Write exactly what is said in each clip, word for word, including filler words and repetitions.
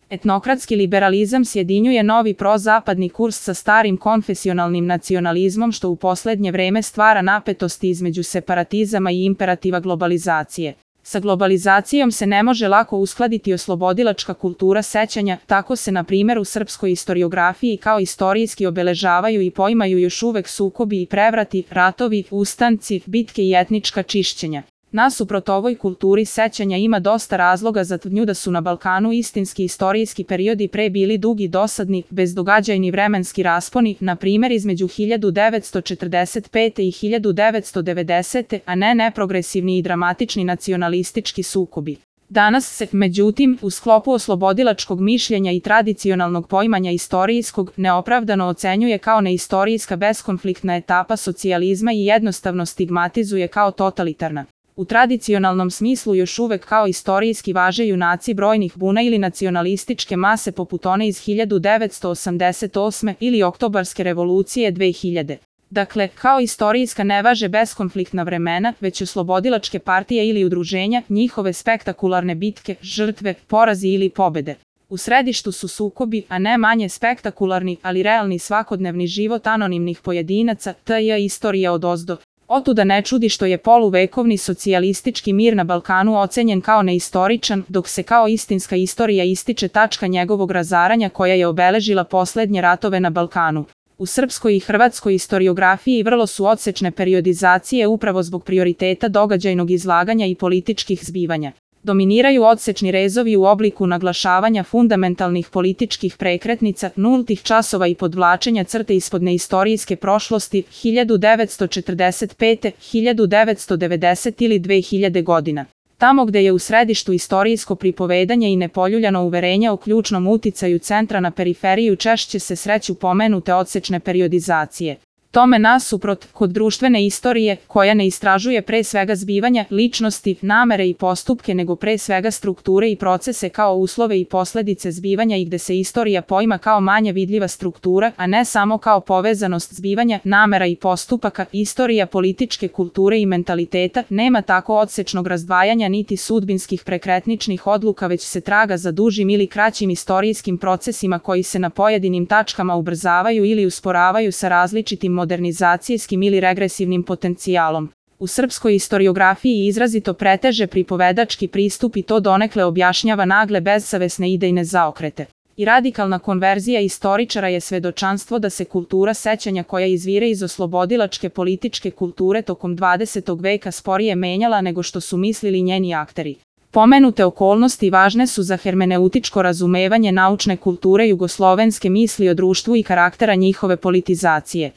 Etnokratski liberalizam sjedinjuje novi prozapadni kurs sa starim konfesionalnim nacionalizmom što u poslednje vreme stvara napetosti između separatizama i imperativa globalizacije. Sa globalizacijom se ne može lako uskladiti oslobodilačka kultura sećanja, tako se na primjer u srpskoj istoriografiji kao istorijski obeležavaju i poimaju još uvek sukobi i prevrati, ratovi, ustanci, bitke i etnička čišćenja. Nasuprot ovoj kulturi sećanja ima dosta razloga za tvrdnju da su na Balkanu istinski istorijski periodi pre bili dugi, dosadni, bezdogađajni vremenski rasponi, na primjer između hiljadu devetsto četrdeset pete. i hiljadu devetsto devedesete. a ne neprogresivni i dramatični nacionalistički sukobi. Danas se, međutim, u sklopu oslobodilačkog mišljenja i tradicionalnog poimanja istorijskog, neopravdano ocenjuje kao neistorijska beskonfliktna etapa socijalizma i jednostavno stigmatizuje kao totalitarna. U tradicionalnom smislu još uvek kao istorijski važe junaci brojnih buna ili nacionalističke mase poput one iz hiljadu devetsto osamdeset osme. ili Oktobarske revolucije dve hiljade. Dakle, kao istorijska ne važe beskonfliktna vremena, već oslobodilačke partije ili udruženja, njihove spektakularne bitke, žrtve, porazi ili pobede. U središtu su sukobi, a ne manje spektakularni, ali realni svakodnevni život anonimnih pojedinaca, tj. istorija odozdo. Otuda ne čudi što je poluvekovni socijalistički mir na Balkanu ocenjen kao neistoričan, dok se kao istinska istorija ističe tačka njegovog razaranja koja je obeležila poslednje ratove na Balkanu. U srpskoj i hrvatskoj istoriografiji vrlo su odsečne periodizacije upravo zbog prioriteta događajnog izlaganja i političkih zbivanja. Dominiraju odsečni rezovi u obliku naglašavanja fundamentalnih političkih prekretnica, nultih časova i podvlačenja crte ispod neistorijske prošlosti hiljadu devetsto četrdeset pete. hiljadu devetsto devedesete. ili dve hiljade godina. Tamo gde je u središtu istorijsko pripovedanje i nepoljuljano uverenje o ključnom uticaju centra na periferiju češće se sreću pomenute odsečne periodizacije. Tome nasuprot, kod društvene istorije, koja ne istražuje pre svega zbivanja, ličnosti, namere i postupke nego pre svega strukture i procese kao uslove i posledice zbivanja i gde se istorija poima kao manje vidljiva struktura, a ne samo kao povezanost zbivanja, namera i postupaka, istorija političke kulture i mentaliteta, nema tako odsečnog razdvajanja niti sudbinskih prekretničnih odluka već se traga za dužim ili kraćim istorijskim procesima koji se na pojedinim tačkama ubrzavaju ili usporavaju sa različitim modernizacijskim ili regresivnim potencijalom. U srpskoj istoriografiji izrazito preteže pripovedački pristup i to donekle objašnjava nagle bezsavesne idejne zaokrete. I radikalna konverzija istoričara je svedočanstvo da se kultura sećanja koja izvire iz oslobodilačke političke kulture tokom dvadesetog veka sporije menjala nego što su mislili njeni akteri. Pomenute okolnosti važne su za hermeneutičko razumevanje naučne kulture jugoslovenske misli o društvu i karaktera njihove politizacije.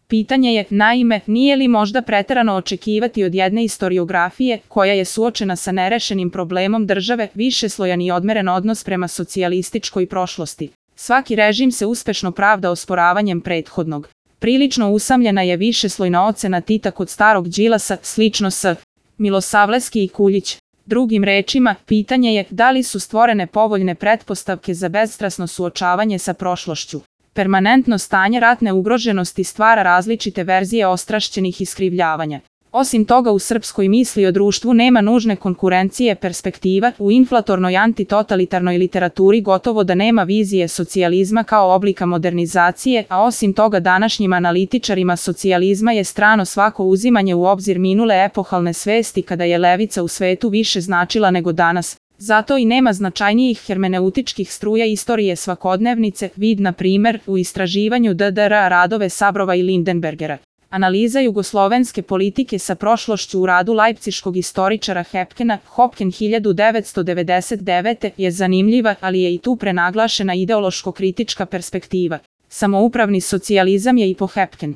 Pitanje je, naime, nije li možda preterano očekivati od jedne istoriografije, koja je suočena sa nerešenim problemom države, višeslojan i odmeren odnos prema socijalističkoj prošlosti. Svaki režim se uspešno pravda osporavanjem prethodnog. Prilično usamljena je višeslojna ocena Tita kod starog Đilasa, slično s Milosavljeski i Kuljić. Drugim rečima, pitanje je da li su stvorene povoljne pretpostavke za bezstrasno suočavanje sa prošlošću. Permanentno stanje ratne ugroženosti stvara različite verzije ostrašćenih iskrivljavanja. Osim toga u srpskoj misli o društvu nema nužne konkurencije perspektiva, u inflatornoj antitotalitarnoj literaturi gotovo da nema vizije socijalizma kao oblika modernizacije, a osim toga današnjim analitičarima socijalizma je strano svako uzimanje u obzir minule epohalne svesti kada je levica u svetu više značila nego danas. Zato i nema značajnijih hermeneutičkih struja istorije svakodnevnice, vid na primer u istraživanju D D R radove Sabrova i Lindenbergera. Analiza jugoslovenske politike sa prošlošću u radu lajpciškog istoričara Hepkena, Hopken hiljadu devetsto devedeset devete. je zanimljiva, ali je i tu prenaglašena ideološko-kritička perspektiva. Samoupravni socijalizam je i po Hepken.